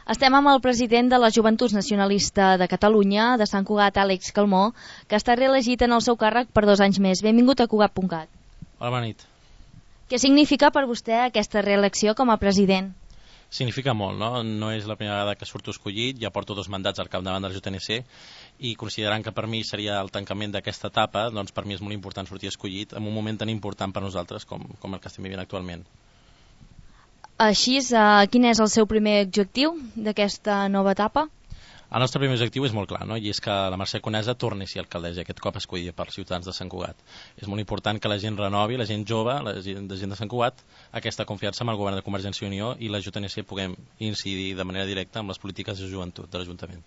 Estem amb el president de la Joventuts Nacionalista de Catalunya, de Sant Cugat, Àlex Calmó, que està reelegit en el seu càrrec per 2 anys més. Benvingut a Cugat.cat. Hola, bona nit. Què significa per vostè aquesta reelecció com a president? Significa molt, no? No és la primera vegada que surto escollit, ja porto 2 mandats al capdavant de la JNC i considerant que per mi seria el tancament d'aquesta etapa, doncs per mi és molt important sortir escollit en un moment tan important per nosaltres com el que estem vivint actualment. Així, quin és el seu primer objectiu d'aquesta nova etapa? El nostre primer objectiu és molt clar, no? I és que la Mercè Conesa torni a ser alcaldessa, aquest cop escollida per ciutadans de Sant Cugat. És molt important que la gent renovi, la gent jove, la gent de Sant Cugat, aquesta confiança amb el govern de Convergència i Unió i la JNC puguem incidir de manera directa amb les polítiques de joventut de l'Ajuntament.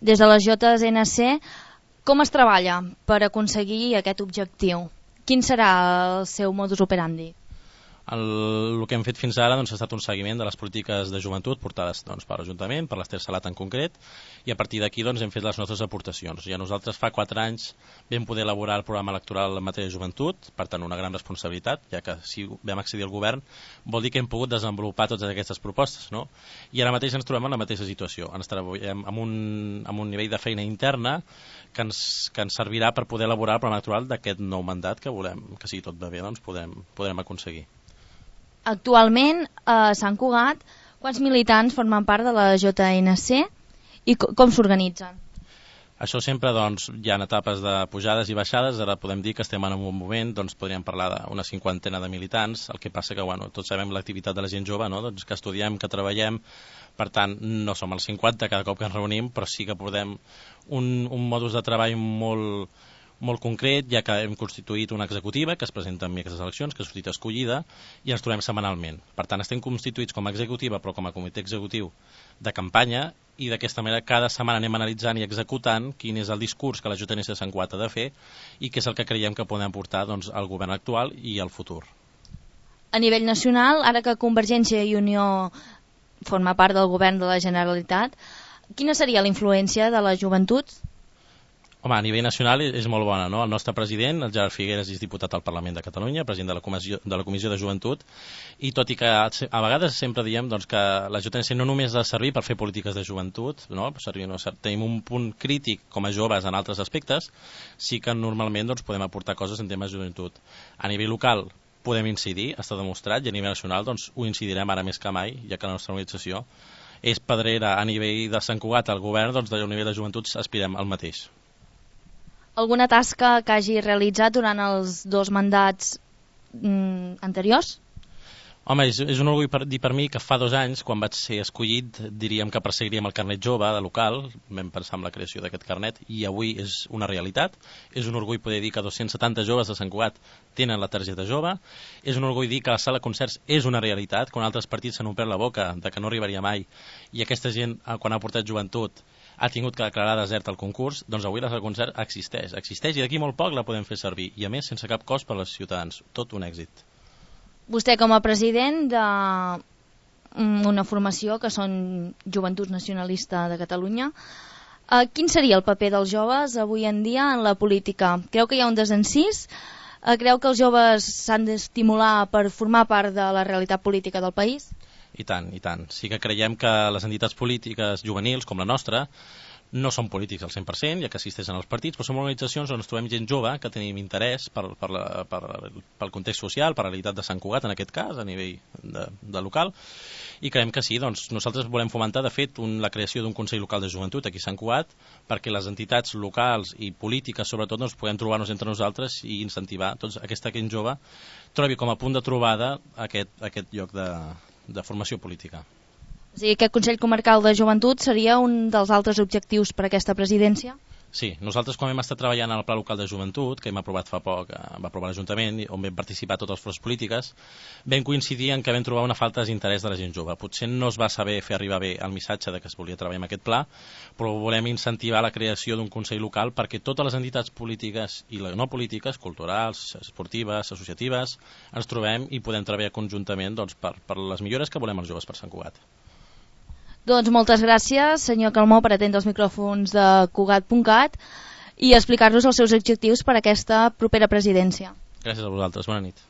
Des de la JNC, com es treballa per aconseguir aquest objectiu? Quin serà el seu modus operandi? El que hem fet fins ara ha estat un seguiment de les polítiques de joventut portades per l'Ajuntament, per l'Ester Salat en concret, i a partir d'aquí hem fet les nostres aportacions. Ja nosaltres fa 4 anys vam poder elaborar el programa electoral en matèria de joventut, per tant una gran responsabilitat, ja que si vam accedir al govern vol dir que hem pogut desenvolupar totes aquestes propostes, no? I ara mateix ens trobem en la mateixa situació, ens treballem amb un nivell de feina interna que ens servirà per poder elaborar el programa electoral d'aquest nou mandat que volem, que si tot va bé podrem aconseguir. Actualment, a Sant Cugat, quants militants formen part de la JNC i com s'organitzen? Això sempre hi ha etapes de pujades i baixades. Ara podem dir que estem en un moment, podríem parlar d'una 50ena de militants, el que passa que tots sabem l'activitat de la gent jove, no? Que estudiem, que treballem, per tant no som els 50 cada cop que ens reunim, però sí que podem un modus de treball molt concret, ja que hem constituït una executiva que es presenta en aquestes eleccions, que ha sortit escollida, i ens trobem setmanalment. Per tant, estem constituïts com a executiva, però com a comitè executiu de campanya, i d'aquesta manera cada setmana anem analitzant i executant quin és el discurs que la JNC de Sant Cugat ha de fer i què és el que creiem que podem portar al govern actual i al futur. A nivell nacional, ara que Convergència i Unió forma part del govern de la Generalitat, quina seria la influència de les joventuts? Home, a nivell nacional és molt bona, no? El nostre president, el Gerard Figueras, és diputat al Parlament de Catalunya, president de la Comissió de Joventut, i tot i que a vegades sempre diem que la JNC no només ha de servir per fer polítiques de joventut, no? Tenim un punt crític com a joves en altres aspectes, sí que normalment podem aportar coses en temes de joventut. A nivell local podem incidir, està demostrat, i a nivell nacional ho incidirem ara més que mai, ja que la nostra organització és pedrera a nivell de Sant Cugat, al govern, a nivell de joventut aspirem al mateix. Alguna tasca que hagi realitzat durant els 2 mandats anteriors? Home, és un orgull dir per mi que fa 2 anys, quan vaig ser escollit, diríem que perseguiríem el carnet jove de local, vam pensar en la creació d'aquest carnet, i avui és una realitat. És un orgull poder dir que 270 joves de Sant Cugat tenen la targeta jove. És un orgull dir que la sala de concerts és una realitat, quan altres partits s'han omplert la boca de que no arribaria mai, i aquesta gent, quan ha portat joventut, ha tingut que declarar desert al concurs, doncs avui la sala de concert existeix i d'aquí molt poc la podem fer servir, i a més sense cap cost per als ciutadans. Tot un èxit. Vostè com a president d'una formació que són Joventuts Nacionalista de Catalunya, quin seria el paper dels joves avui en dia en la política? Creu que hi ha un desencís? Creu que els joves s'han d'estimular per formar part de la realitat política del país? I tant, i tant. Sí que creiem que les entitats polítiques juvenils, com la nostra, no són polítics al 100%, ja que assisteixen als partits, però som organitzacions on ens trobem gent jove que tenim interès pel context social, per la realitat de Sant Cugat, en aquest cas, a nivell de local, i creiem que sí, nosaltres volem fomentar, de fet, la creació d'un Consell Local de Joventut aquí a Sant Cugat, perquè les entitats locals i polítiques, sobretot, puguem trobar-nos entre nosaltres i incentivar aquesta gent jove trobi com a punt de trobada aquest lloc de formació política. O sigui, aquest Consell Comarcal de Joventut seria un dels altres objectius per a aquesta presidència? Sí, nosaltres quan hem estat treballant al Pla Local de Joventut, que hem aprovat fa poc, va aprovar l'Ajuntament, on vam participar totes les forces polítiques, vam coincidir en que vam trobar una falta d'interès de la gent jove. Potser no es va saber fer arribar bé el missatge de que es volia treballar amb aquest pla, però volem incentivar la creació d'un Consell Local perquè totes les entitats polítiques i no polítiques, culturals, esportives, associatives, ens trobem i podem treballar conjuntament per les millores que volem els joves per Sant Cugat. Doncs moltes gràcies, senyor Calmó, per atendre els micròfons de Cugat.cat i explicar-nos els seus objectius per a aquesta propera presidència. Gràcies a vosaltres, bona nit.